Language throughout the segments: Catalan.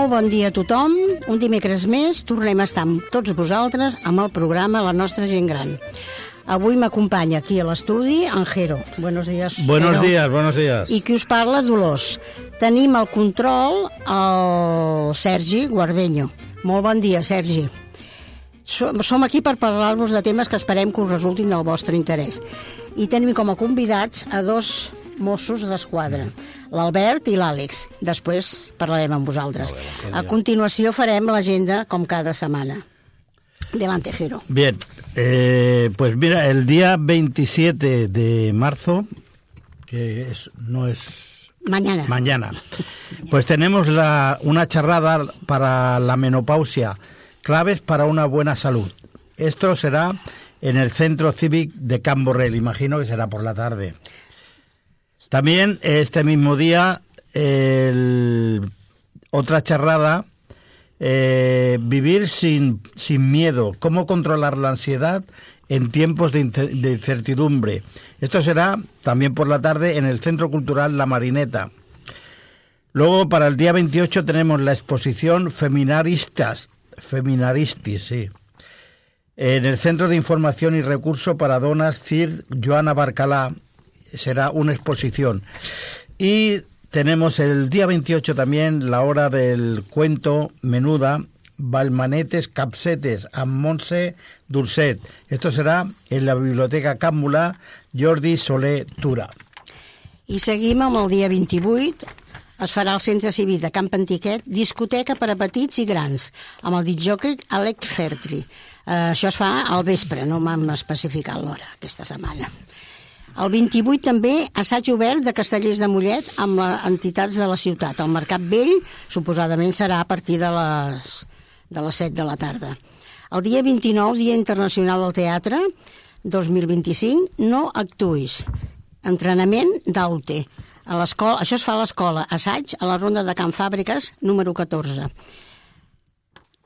Molt bon dia a tothom. Un dimecres més tornem a estar amb tots vosaltres amb el programa La Nostra Gent Gran. Avui m'acompanya aquí a l'estudi en Jero. Buenos días. Buenos días. I qui us parla, Dolors. Tenim al control el Sergi Guardeño. Molt bon dia, Sergi. Som aquí per parlar-vos de temes que esperem que us resultin del vostre interès. I tenim com a convidats a dos Mossos d'Esquadra, l'Albert i l'Àlex. Després parlarem amb vosaltres. A continuació farem l'agenda com cada setmana. Delante, Jero. Bien, pues mira, el día 27 de marzo, no es... Mañana. Pues tenemos una charrada para la menopausia, claves para una buena salud. Esto será en el Centro Cívic de Can Borrell, imagino que será por la tarde. También este mismo día, otra charrada, vivir sin miedo, cómo controlar la ansiedad en tiempos de incertidumbre. Esto será también por la tarde en el Centro Cultural La Marineta. Luego, para el día 28 tenemos la exposición Feminaristis, sí, en el Centro de Información y Recurso para Donas CIR Joana Barcalá. Será una exposición. Y tenemos el día 28 también la hora del cuento menuda, Balmanetes, Capsetes, amb Montse Dulcet. Esto serà en la Biblioteca Càmmula Jordi Soler Tura. I seguim amb el dia 28. Es farà al Centre Cívic de Camp Antiquet discoteca per a petits i grans, amb el discjòquei Alec Fertri. Això es fa al vespre, no m'han especificat l'hora aquesta setmana. El 28 també assaig obert de Castellers de Mollet amb les entitats de la ciutat. El Mercat Vell suposadament serà a partir de les 7 de la tarda. El dia 29, Dia Internacional del Teatre 2025, no actuïs. Entrenament d'Aute. Això es fa a l'escola Assaig a la Ronda de Can Fàbriques número 14.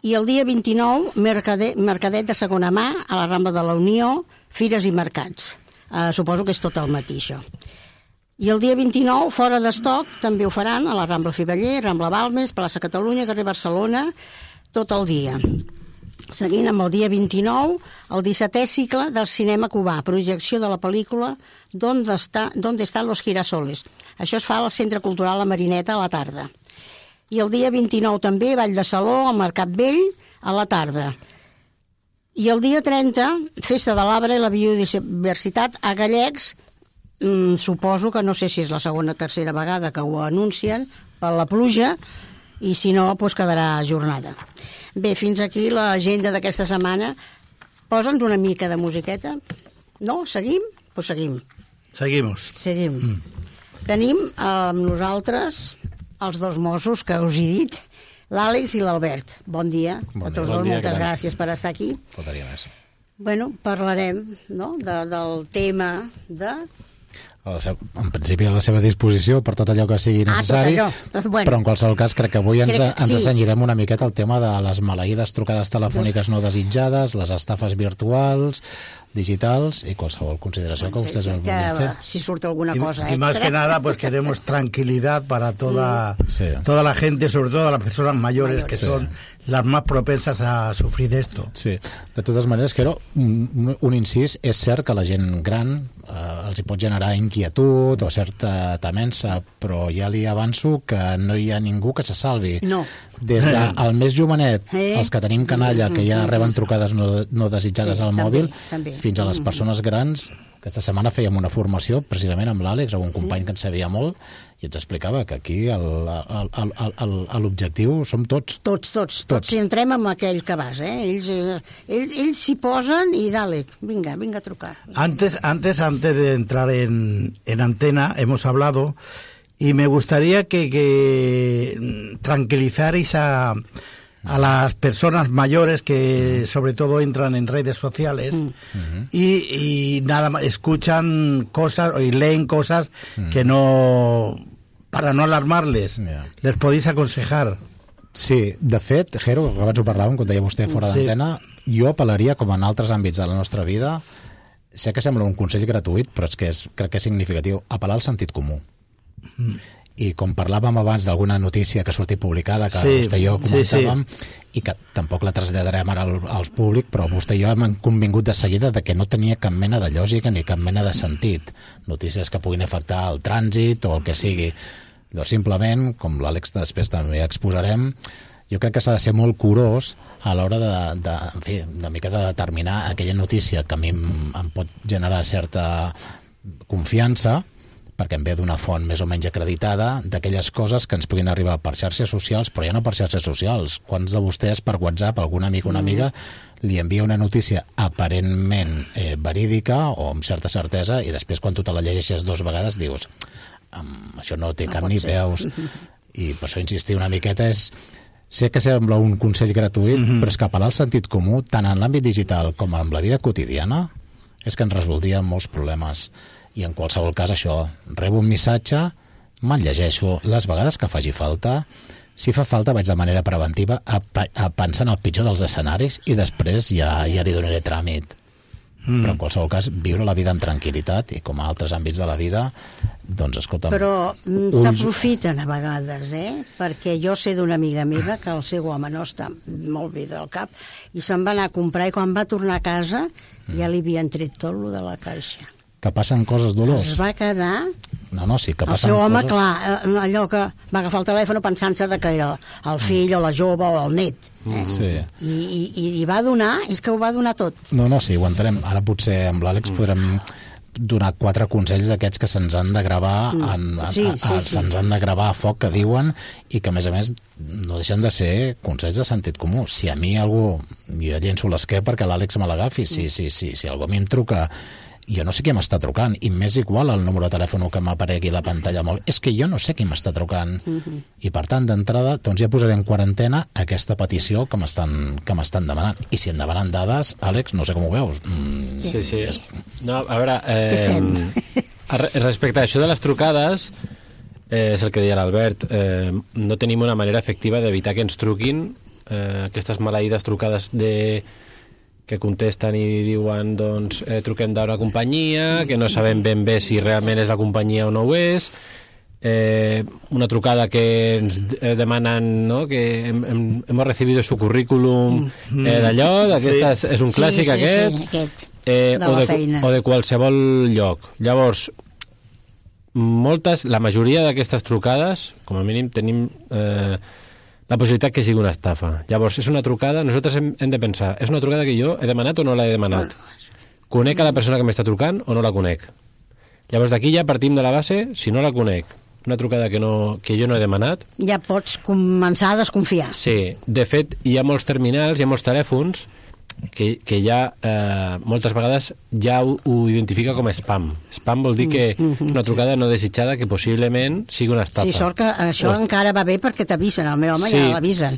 I el dia 29, mercadet de segona mà a la Rambla de la Unió, fires i mercats. Suposo que és tot el matí, això. I el dia 29, fora d'estoc, també ho faran a la Rambla Fiveller, Rambla Balmes, Plaça Catalunya, carrer Barcelona, tot el dia. Seguint amb el dia 29, el 17è cicle del cinema cubà, projecció de la pel·lícula ¿Dónde están los girasoles? Això es fa al Centre Cultural La Marineta a la tarda. I el dia 29 també, Ball de Saló, al Mercat Vell, a la tarda. I el dia 30, Festa de l'Arbre i la Biodiversitat a Gallecs, suposo que no sé si és la segona o tercera vegada que ho anuncien, per la pluja, i si no, doncs quedarà jornada. Bé, fins aquí l'agenda d'aquesta setmana. Posa'ns una mica de musiqueta. No? Seguim? Doncs seguim. Seguim. Tenim amb nosaltres els dos Mossos que us he dit, l'Àlex i l'Albert. Bon dia a tots dos, moltes gràcies per estar aquí. Faltaria més. Bueno, parlarem del tema de... En principi a la seva disposició per tot allò que sigui necessari, però en qualsevol cas crec que avui ens assenyirem una miqueta al tema de les maleïdes trucades telefòniques no desitjades, les estafes virtuals, digitals i qualsevol consideració que ustedes vulguin fer. Si surt alguna cosa extra. Y más que nada, pues queremos tranquilidad para toda la gente, sobre todo las personas mayores que son las más propensas a sufrir esto. Sí, de totes maneres, Quero, un incís, és cert que la gent gran els hi pot generar inquietud o certa temença, però ja li avanço que no hi ha ningú que se salvi. No. Des del més jovenet, els que tenim canalla, que ja reben trucades no desitjades al mòbil, fins a les persones grans. Aquesta setmana fèiem una formació precisament amb l'Àlex, un company que en sabia molt, i ens explicava que aquí l'objectiu som tots. Tots. Si entrem amb aquell que vas, ells s'hi posen i dale, vinga a trucar. Antes de entrar en antena, hemos hablado, y me gustaría que tranquilizarais a las personas mayores que sobre todo entran en redes sociales y nada más escuchan cosas y leen cosas que no, para no alarmarles, les podéis aconsejar. Sí, de fet, Jero, que abans ho parlàvem quan deia vostè fora d'antena, jo apel·laria, com en altres àmbits de la nostra vida, sé que sembla un consell gratuït, però és que crec que és significatiu, apel·lar al sentit comú. i com parlàvem abans d'alguna notícia que ha sortit publicada, que vostè i jo comentàvem, i que tampoc la traslladarem ara al públic, però vostè i jo hem convingut de seguida de que no tenia cap mena de lògica ni cap mena de sentit. Notícies que puguin afectar el trànsit o el que sigui. Doncs simplement, com l'Àlex després també exposarem, jo crec que s'ha de ser molt curós a l'hora en fi, una mica de determinar aquella notícia que a mi em pot generar certa confiança, perquè em ve d'una font més o menys acreditada, d'aquelles coses que ens puguin arribar per xarxes socials, però ja no per xarxes socials. Quants de vostès per WhatsApp, algun amic o una amiga, li envia una notícia aparentment verídica o amb certa certesa, i després quan tu te la llegeixes 2 vegades dius això no té cap ni peus. I per això insistir una miqueta és... Sé que sembla un consell gratuït, però és que apel·lar al sentit comú, tant en l'àmbit digital com en la vida quotidiana, és que ens resoldria molts problemes. I en qualsevol cas això, rebo un missatge, me'l llegeixo les vegades que faci falta. Si fa falta vaig de manera preventiva a pensar en el pitjor dels escenaris i després ja li donaré tràmit. Però en qualsevol cas viure la vida amb tranquil·litat, i com a altres àmbits de la vida, doncs escolta'm... Però s'aprofiten a vegades, perquè jo sé d'una amiga meva que el seu home no està molt bé del cap i se'n va anar a comprar, i quan va tornar a casa ja li havien tret tot lo de la caixa. Que passen coses dolors. Es va quedar... No, sí, que passen coses... El seu home, coses... clar, allò que va agafar el telèfon pensant-se que era el fill o la jove o el net. Sí. I va donar, és que ho va donar tot. No, sí, ho entenem. Ara potser amb l'Àlex podrem donar 4 consells d'aquests que se'ns han de gravar se'ns han de gravar a foc, que diuen, i que a més no deixen de ser consells de sentit comú. Si a mi algú, jo llenço l'esquer perquè l'Àlex me l'agafi, si algú a mi em truca, jo no sé qui m'està trucant, i m'és igual el número de telèfon que m'aparegui a la pantalla mòbil, és que jo no sé qui m'està trucant. I per tant, d'entrada, doncs ja posaré en quarantena aquesta petició que m'estan demanant. I si em demanen dades, Àlex, no sé com ho veus. Sí. No, a veure, respecte a això de les trucades, és el que deia l'Albert, no tenim una manera efectiva d'evitar que ens truquin aquestes maleïdes trucades que contesten i diuen doncs truquem d'una companyia, que no sabem ben bé si realment és la companyia o no ho és, una trucada que ens demanen, ¿no?, que hemos recibido su currículum d'allò, d'aquestes, és un clàssic aquest. O de qualsevol lloc. Llavors, la majoria d'aquestes trucades, com a mínim tenim la possibilitat que sigui una estafa. Llavors, és una trucada, nosaltres hem de pensar, és una trucada que jo he demanat o no l'he demanat? Conec a la persona que m'està trucant o no la conec? Llavors, d'aquí ja partim de la base, si no la conec, una trucada que jo no he demanat... Ja pots començar a desconfiar. Sí, de fet, hi ha molts terminals, hi ha molts telèfons que ja moltes vegades ja ho identifica com a spam. Spam vol dir que és una trucada no desitjada que possiblement sigui una estafa. Sí, sort que això encara va bé perquè t'avisen, el meu home ja l'avisen.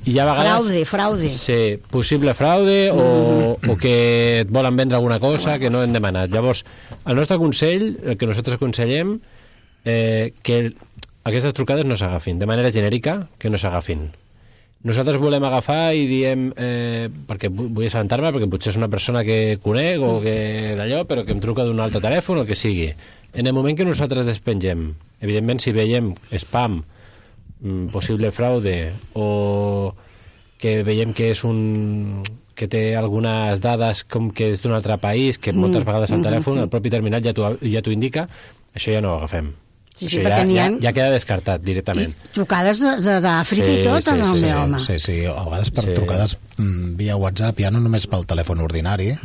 Fraude. Sí, possible fraude o que et volen vendre alguna cosa que no hem demanat. Llavors, el nostre consell, el que nosaltres aconsellem, que aquestes trucades no s'agafin, de manera genèrica, que no s'agafin. Nosaltres volem agafar i diem perquè vull assabentar-me, perquè potser és una persona que conec o que d'allò, però que em truca d'un altre telèfon o que sigui. En el moment que nosaltres despengem, evidentment si veiem spam, possible fraude, o que veiem que és que té algunes dades com que és d'un altre país, que moltes vegades al telèfon, el propi terminal ja t'ho indica, això ja no ho agafem. Sí, ja queda descartat directament. Trucades d'Àfrica i tot, en el meu home. Sí, a vegades per trucades via WhatsApp, ja no només pel telèfon ordinari,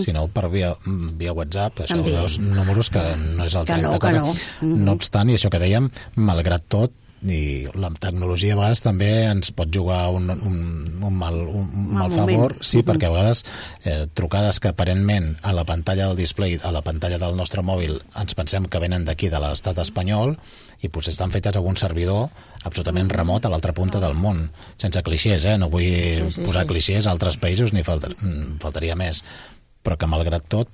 sinó per via WhatsApp, això, els números que no és el 30. No obstant, i això que dèiem, malgrat tot, i la tecnologia a vegades també ens pot jugar un mal favor, sí, perquè a vegades trucades que aparentment a la pantalla del display, a la pantalla del nostre mòbil, ens pensem que venen d'aquí, de l'estat espanyol, i potser estan fetes a un servidor absolutament remot a l'altra punta del món, sense clixés, no vull posar clixés a altres països, ni faltaria més, però que malgrat tot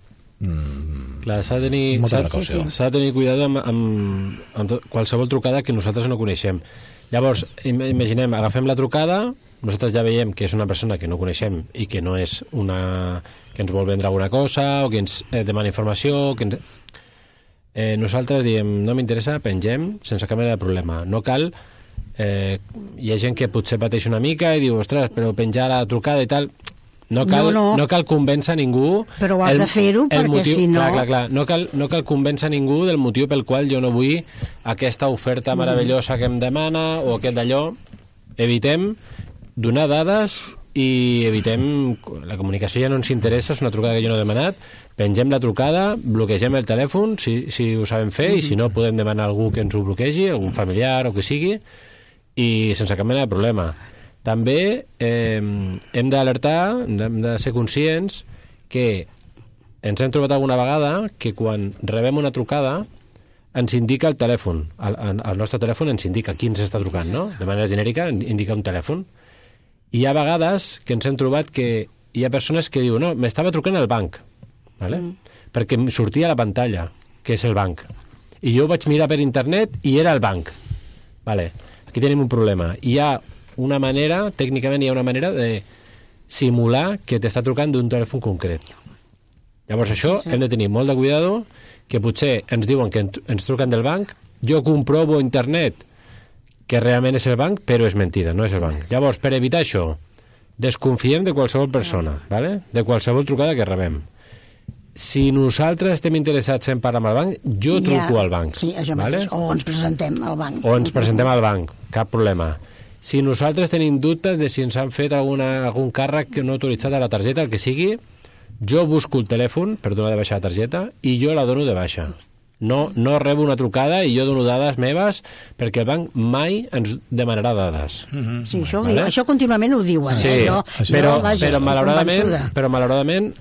clar, s'ha de tenir cuidado amb qualsevol trucada que nosaltres no coneixem. Llavors, imaginem, agafem la trucada, nosaltres ja veiem que és una persona que no coneixem i que no és que ens vol vendre alguna cosa o que ens demana informació, nosaltres diem, no m'interessa, pengem sense cap mena de problema. No cal... hi ha gent que potser pateix una mica i diu, ostres, però penjar la trucada i tal... No cal convèncer ningú... Però has de fer-ho perquè si no... Clar. No cal convèncer ningú del motiu pel qual jo no vull aquesta oferta meravellosa que em demana o aquest d'allò. Evitem donar dades i evitem... La comunicació ja no ens interessa, és una trucada que jo no he demanat. Pengem la trucada, bloquegem el telèfon, si ho sabem fer, i si no podem demanar a algú que ens ho bloquegi, algun familiar o que sigui, i sense cap mena de problema. També hem d'alertar, hem de ser conscients que ens hem trobat alguna vegada que quan rebem una trucada ens indica el telèfon. El nostre telèfon ens indica qui ens està trucant, no? De manera genèrica indica un telèfon. I hi ha vegades que ens hem trobat que hi ha persones que diuen, no, m'estava trucant el banc, ¿vale? Perquè em sortia a la pantalla que és el banc. I jo vaig mirar per internet i era el banc. Vale. Aquí tenim un problema. Tècnicament hi ha una manera de simular que t'està trucant d'un telèfon concret. Llavors això hem de tenir molt de cuidado, que potser ens diuen que ens truquen del banc, jo comprovo a internet que realment és el banc, però és mentida, no és el banc. Llavors, per evitar això, desconfiem de qualsevol persona, ¿vale? De qualsevol trucada que rebem. Si nosaltres estem interessats en parlar amb el banc, jo truco al banc. Sí, això mateix. ¿vale? O ens presentem al banc. O ens presentem al banc, cap problema. Si nosaltres tenim dubtes de si ens han fet algun càrrec no autoritzat a la targeta, el que sigui, jo busco el telèfon per donar de baixa la targeta i jo la dono de baixa. No rebo una trucada i jo dono dades meves perquè el banc mai ens demanarà dades. Sí, això contínuament ho diuen. Sí, però malauradament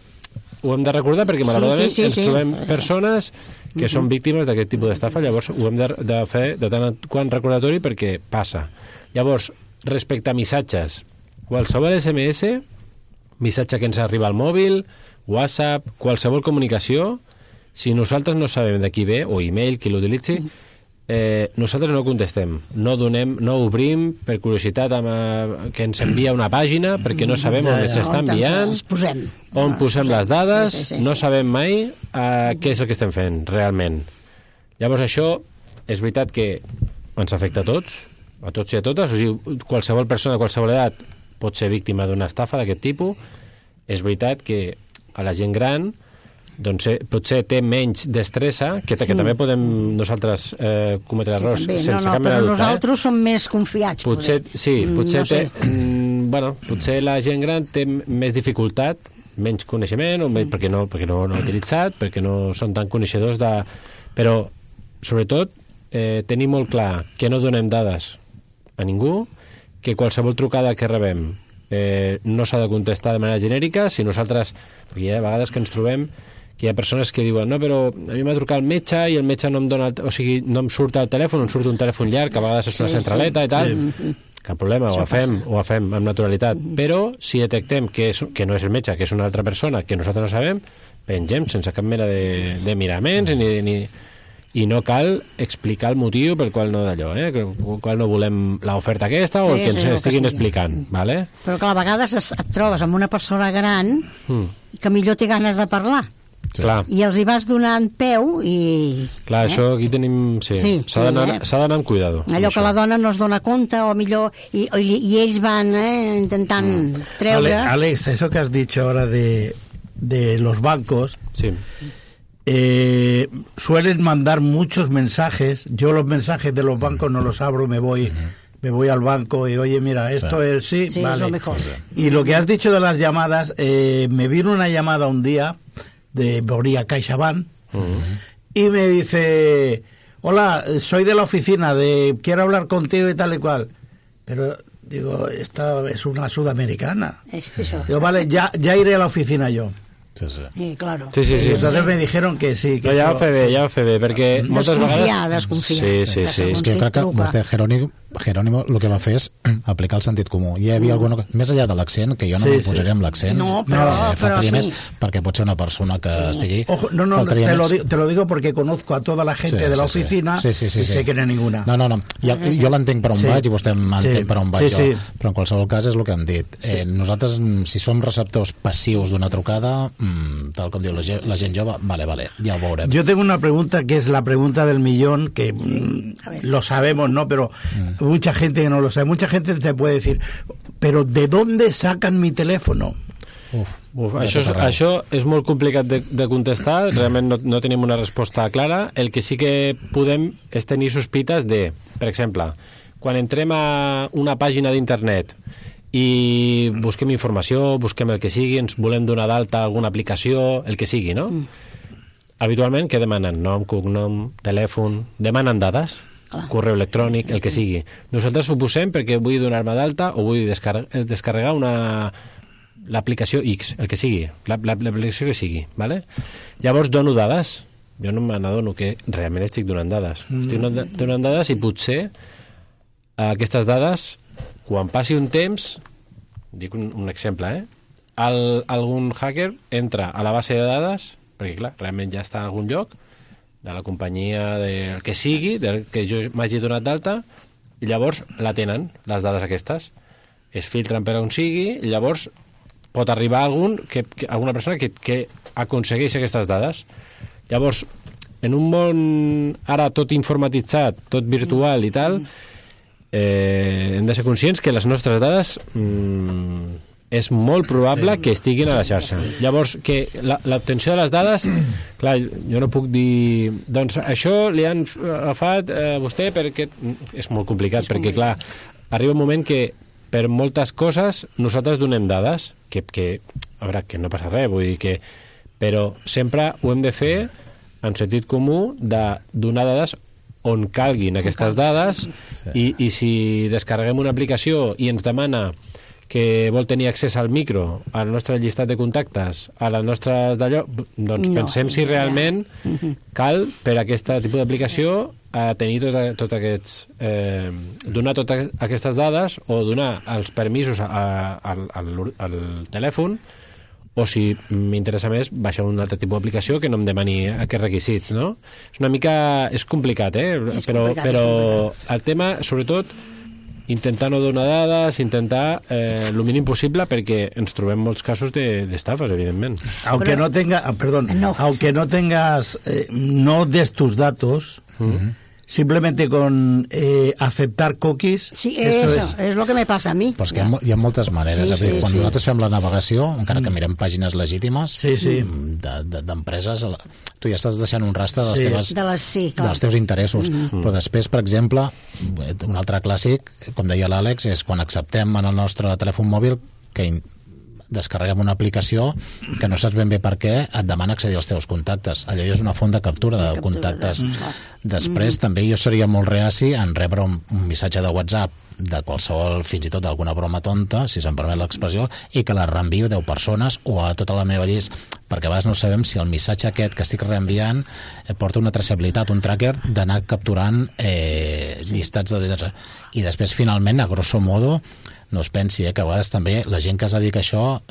ho hem de recordar perquè malauradament ens trobem persones que són víctimes d'aquest tipus d'estafa, llavors ho hem de fer de tant en quant recordatori perquè passa. Llavors, respecte a missatges, qualsevol SMS, missatge que ens arriba al mòbil, WhatsApp, qualsevol comunicació, si nosaltres no sabem de qui ve, o email, qui l'utilitzi, nosaltres no contestem, no obrim per curiositat que ens envia una pàgina perquè no sabem on s'està enviant, on posem les dades, no sabem mai què és el que estem fent realment. Llavors això és veritat que ens afecta a tots i a totes, o sigui, qualsevol persona de qualsevol edat pot ser víctima d'una estafa d'aquest tipus. És veritat que a la gent gran doncs potser té menys destressa, que també podem nosaltres cometre errors sense cap mena de dubte. Però nosaltres som més confiats. Potser la gent gran té més dificultat, menys coneixement, perquè no l'ha utilitzat, perquè no són tan coneixedors de... Però, sobretot, tenir molt clar que no donem dades a ningú, que qualsevol trucada que rebem no s'ha de contestar de manera genèrica. Si nosaltres... Perquè hi ha vegades que ens trobem que hi ha persones que diuen, no, però a mi m'ha trucat el metge i el metge no em dona, o sigui, no em surt el telèfon, em surt un telèfon llarg, que a vegades és una centraleta i tal. Cap problema, ho fem amb naturalitat. Però si detectem que no és el metge, que és una altra persona que nosaltres no sabem, pengem sense cap mena de miraments i no cal explicar el motiu pel qual no d'allò, pel qual no volem l'oferta aquesta o el que ens estiguin explicant, ¿vale? Però que a vegades et trobes amb una persona gran que millor té ganes de parlar. Sí. I els hi vas donant peu i... Clar, això aquí tenim... Sí. S'ha d'anar amb cuidado. Allò que la dona no es dona compte o millor... I ells van intentant treure... Alex, eso que has dicho ahora de los bancos... Sí. Suelen mandar muchos mensajes. Yo los mensajes de los bancos no los abro, me voy al banco y oye, mira, esto es sí, vale. Es lo mejor. Y lo que has dicho de las llamadas, me vino una llamada un día de Boría CaixaBank y me dice, hola, soy de la oficina, quiero hablar contigo y tal y cual. Pero digo, esta es una sudamericana. Es eso. Digo, vale, ya iré a la oficina yo. Sí, claro. Sí. Entonces me dijeron que sí. Que ja ho fe bé, perquè moltes vegades... Desconfiar. Sí. És que crec que Marcel Jerónimo el que va fer és aplicar el sentit comú. Hi havia alguna... Més enllà de l'accent, que jo no m'hi posaré amb l'accent, faltaria més, perquè pot ser una persona que estigui... Ojo, no, te lo digo porque conozco a toda la gente de la oficina y sé que no hay ninguna. No. Jo l'entenc per on vaig i vostè m'entén per on vaig jo. Però en qualsevol cas és el que hem dit. Nosaltres, si som receptors passius d'una trucada, tal com diu la gent jove, vale, ya lo veurem. Yo tengo una pregunta que es la pregunta del millón, que lo sabemos, ¿no? Pero mucha gente que no lo sabe, mucha gente te puede decir, pero ¿de dónde sacan mi teléfono? Això és molt complicat de contestar, realment no tenim una resposta clara. El que sí que podem és tenir sospites de, per exemple, quan entrem a una pàgina d'internet i busquem informació, busquem el que sigui, ens volem donar d'alta alguna aplicació, el que sigui, no? Habitualment, què demanen? Nom, cognom, telèfon... Demanen dades, correu electrònic, el que sigui. Nosaltres ho posem perquè vull donar-me d'alta o vull descarregar l'aplicació X, el que sigui, l'aplicació que sigui, ¿vale? Llavors dono dades. Jo no me n'adono que realment estic donant dades. Estic donant dades i potser aquestes dades, quan passi un temps, dic un exemple, algun hacker entra a la base de dades, perquè clar, realment ja està a algun lloc, de la companyia del que sigui, del que jo m'hagi donat d'alta, i llavors la tenen, les dades aquestes. Es filtren per on sigui, i llavors pot arribar alguna persona que aconsegueix aquestes dades. Llavors, en un món ara tot informatitzat, tot virtual i tal, hem de ser conscients que les nostres dades és molt probable que estiguin a la xarxa. Llavors, que l'obtenció de les dades, clar, jo no puc dir doncs això li han agafat a vostè perquè és molt complicat, perquè clar, arriba un moment que per moltes coses nosaltres donem dades que a veure, que no passa res, vull dir que però sempre ho hem de fer en sentit comú de donar dades on calguin aquestes dades i si descarreguem una aplicació i ens demana que vol tenir accés al micro, al nostre llistat de contactes, a les nostres d'allò, doncs pensem si realment cal per a aquest tipus d'aplicació tenir tot aquests donar totes aquestes dades o donar els permisos al telèfon, o si m'interessa més baixar un altre tipus d'aplicació que no em demani aquests requisits, no? És una mica... és complicat, però el tema, sobretot, intentar no donar dades, intentar el mínim possible, perquè ens trobem molts casos d'estafes, evidentment. Aunque no tengas no des tus datos, simplemente con aceptar cookies. Sí, eso es lo que me passa a mi. Però és que hi ha moltes maneres. Quan nosaltres fem la navegació, encara que mirem pàgines legítimes d'empreses, tu ja estàs deixant un rastre dels teus interessos. Però després, per exemple, un altre clàssic, com deia l'Àlex, és quan acceptem en el nostre telèfon mòbil que descarreguem una aplicació que no saps ben bé per què et demana accedir als teus contactes. Allò ja és una font de captura de contactes. Després també jo seria molt reaci en rebre un missatge de WhatsApp de qualsevol, fins i tot d'alguna broma tonta, si se'm permet l'expressió, i que la reenvio a 10 persones o a tota la meva llista, perquè a vegades no sabem si el missatge aquest que estic reenviant porta una traçabilitat, un tracker d'anar capturant llistats de detalls. I després, finalment, a grosso modo, no es pensi que a vegades també la gent que es dedica a això,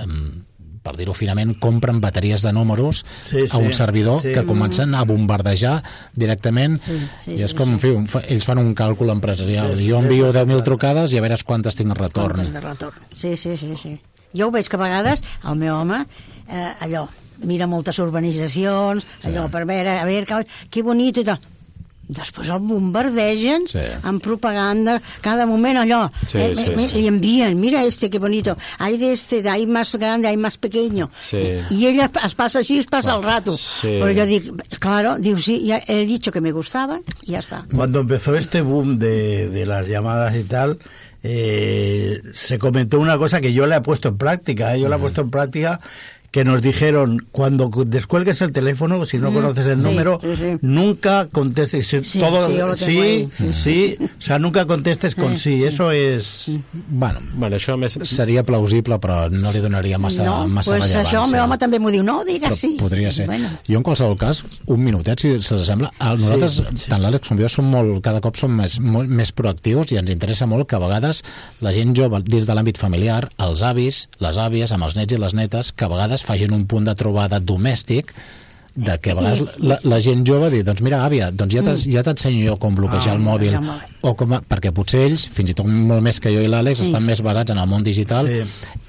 per dir-ho finament, compren bateries de números a un servidor que comencen a bombardejar directament i és com, en fi, ells fan un càlcul empresarial. Jo envio 10.000 trucades i a veure quantes tinc en retorn. Sí. Jo ho veig que a vegades el meu home allò, mira moltes urbanitzacions, allò per veure, a veure, que bonito i tal. Després el bombardegen amb propaganda, cada moment allò, li envien, mira que bonito, hay hay más grande, hay más pequeño, y ella es pasa así, es pasa el rato, pero yo digo, claro, digo, sí, ya he dicho que me gustaban, y ya está. Cuando empezó este boom de las llamadas y tal, se comentó una cosa que yo le he puesto en práctica, que nos dijeron, cuando descuelgues el teléfono, si no conoces el número, nunca contestes. O sea, nunca contestes con sí. Eso és... Bueno, això seria plausible, però no li donaria massa rellevància. Això el meu home també m'ho diu, no, digues sí. Podria ser. Jo, en qualsevol cas, un minutet, si s'assembla. Nosaltres, tant l'Àlex com jo, cada cop som més proactius i ens interessa molt que a vegades la gent jove, dins de l'àmbit familiar, els avis, les àvies, amb els nets i les netes, que a vegades facin un punt de trobada domèstic de que a vegades la gent jove diu, doncs mira, àvia, doncs ja t'ensenyo jo com bloquejar el mòbil, o perquè potser ells, fins i tot molt més que jo i l'Àlex, estan més basats en el món digital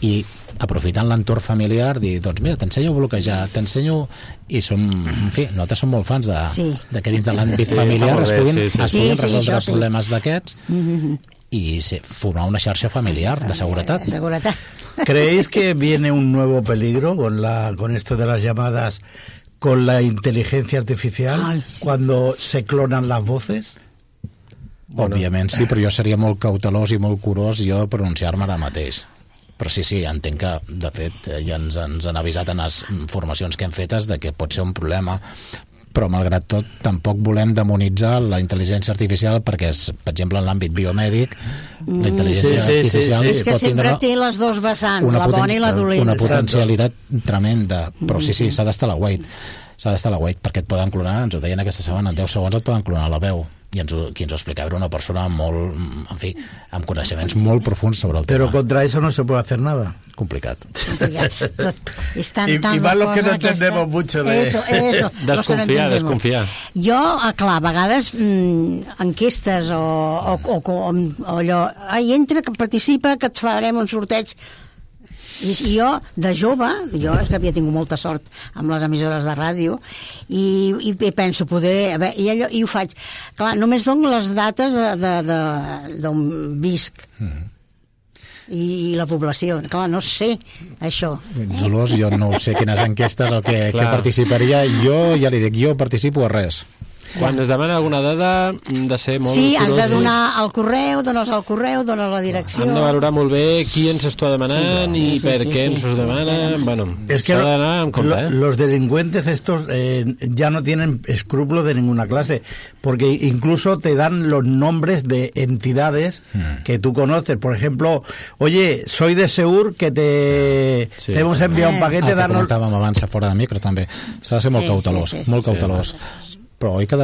i aprofitant l'entorn familiar, dir, doncs mira, t'ensenyo a bloquejar, t'ensenyo... I som, en fi, nosaltres som molt fans de que dins de l'àmbit familiar es puguin resoldre problemes d'aquests y formar una xarxa familiar de seguretat. ¿Creéis que viene un nuevo peligro con esto de las llamadas con la inteligencia artificial cuando se clonan las voces? Òbviament sí, però jo seria molt cautelós i molt curós jo de pronunciar-me ara mateix. Però sí, entenc que, de fet, ja ens han avisat en les formacions que hem fetes de que pot ser un problema, però malgrat tot tampoc volem demonitzar la intel·ligència artificial perquè, per exemple, en l'àmbit biomèdic la intel·ligència artificial és que sempre té les dos vessants, la bona i la dolenta. Una potencialitat tremenda, però sí, s'ha d'estar a l'aguait perquè et poden clonar, ens ho deien aquesta setmana, en 10 segons et poden clonar la veu, i qui ens ho explicava era una persona molt, en fi, amb coneixements molt profuns sobre el tema. Pero contra eso no se puede hacer nada. Complicat. Y más los que no entendemos mucho de eso. Desconfiar. Jo, clar, a vegades enquestes o allò, entra, que participa, que et farem un sorteig. I jo, de jove, és que havia tingut molta sort amb les emissores de ràdio i penso poder... I ho faig. Clar, només dono les dates d'on visc i la població. Clar, no sé això. Dolors, jo no sé quines enquestes o què participaria. Jo ja li dic, jo participo a res. Quan es demana alguna dada, hem de ser molt curós. Sí, has de donar el correu, dones el correu, dones la direcció. Hem de valorar molt bé qui ens està demanant i per què ens ho demana. Bueno, s'ha d'anar amb compte. Los delincuentes estos ya no tienen escrúpulos de ninguna clase, porque incluso te dan los nombres de entidades que tú conoces. Por ejemplo, oye, soy de Seur, que te hemos enviado un paquete. El que comentàvem abans fora de micro també. S'ha de ser molt cautelós, molt cautelós. Però oi que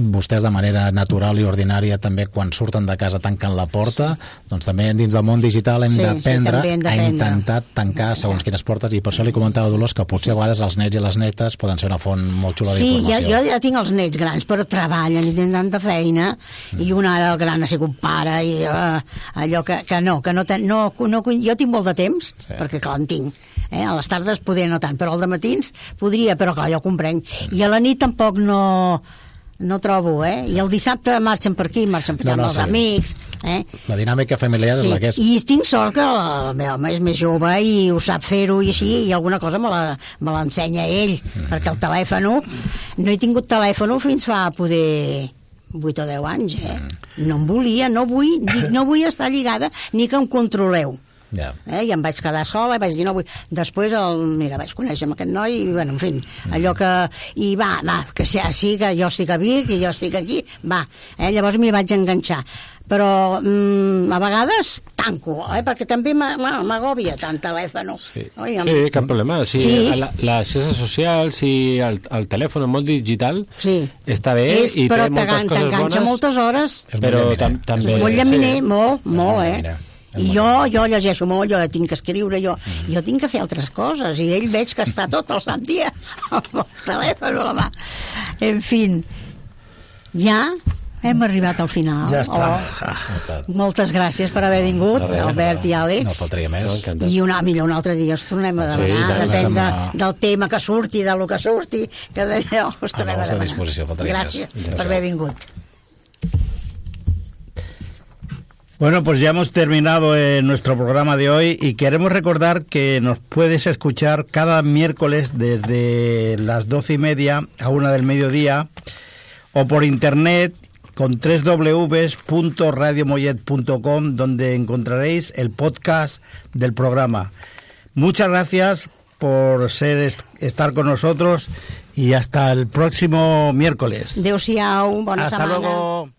vostès de manera natural i ordinària també quan surten de casa tanquen la porta, doncs també dins del món digital hem d'aprendre a intentar tancar segons quines portes, i per això li comentava a Dolors que potser a vegades els nets i les netes poden ser una font molt xula d'informació. Sí, jo ja tinc els nets grans, però treballen i tenen tanta feina, i un ara el gran ha sigut pare, i allò que no, jo tinc molt de temps, perquè clar, en tinc, a les tardes poder no tant, però al dematins podria, però clar, jo ho comprenc, i a la nit tampoc no trobo, i el dissabte marxen per aquí, marxen per allà amb els amics. La dinàmica familiar és la que és. I tinc sort que el meu home és més jove i ho sap fer-ho i així, i alguna cosa me l'ensenya ell, perquè el telèfon, no he tingut telèfon fins fa poder 8 o 10 anys, no em volia, no vull estar lligada ni que em controleu. I em vaig quedar sola i vaig dir no vull. Després vaig conèixer aquest noi i bueno, en fi, allò que i va, que sí, que jo estic a Vic i jo estic aquí, llavors m'hi vaig enganxar, però a vegades tanco, perquè també m'agòbia tant telèfon. Sí, cap problema. Les xarxes socials i el telèfon en món digital està bé i té moltes coses bones, t'enganxa moltes hores, però també molt llaminer, molt, i jo llegeixo molt, jo tinc que escriure, jo tinc que fer altres coses, i ell veig que està tot el sant dia amb el telèfon a la mà. En fi, ja hem arribat al final. Ja està. Moltes gràcies per haver vingut, Albert i Àlex. No faltaria més. I millor un altre dia us tornem a demanar, depèn del tema que surti, del que surti, que d'allò us tornem a demanar. Gràcies per haver vingut. Bueno, pues ya hemos terminado nuestro programa de hoy y queremos recordar que nos puedes escuchar cada miércoles desde las 12:30 a 1 del mediodía o por internet con www.radiomollet.com, donde encontraréis el podcast del programa. Muchas gracias por estar con nosotros y hasta el próximo miércoles. Adéu-siau, bona setmana. Hasta luego.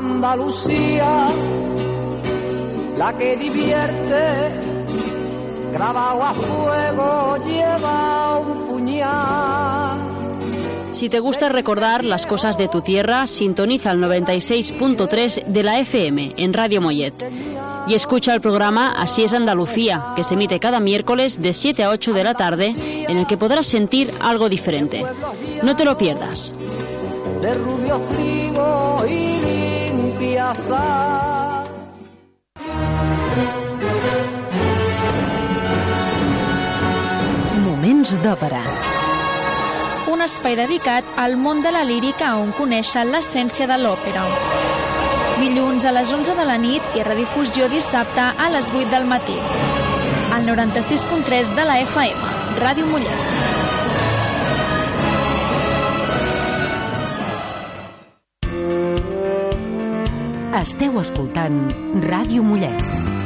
Andalucía, la que divierte, grabado a fuego lleva un puñal. Si te gusta recordar las cosas de tu tierra, sintoniza el 96.3 de la FM en Radio Mollet. Y escucha el programa Así es Andalucía, que se emite cada miércoles de 7 a 8 de la tarde, en el que podrás sentir algo diferente. No te lo pierdas. De rubio trigo y limpia sal. Moments d'òpera. Un espai dedicat al món de la lírica on conèixer l'essència de l'òpera. Dilluns a les 11 de la nit i redifusió dissabte a les 8 del matí. Al 96.3 de la FM, Ràdio Mollet. Esteu escoltant Ràdio Mollet.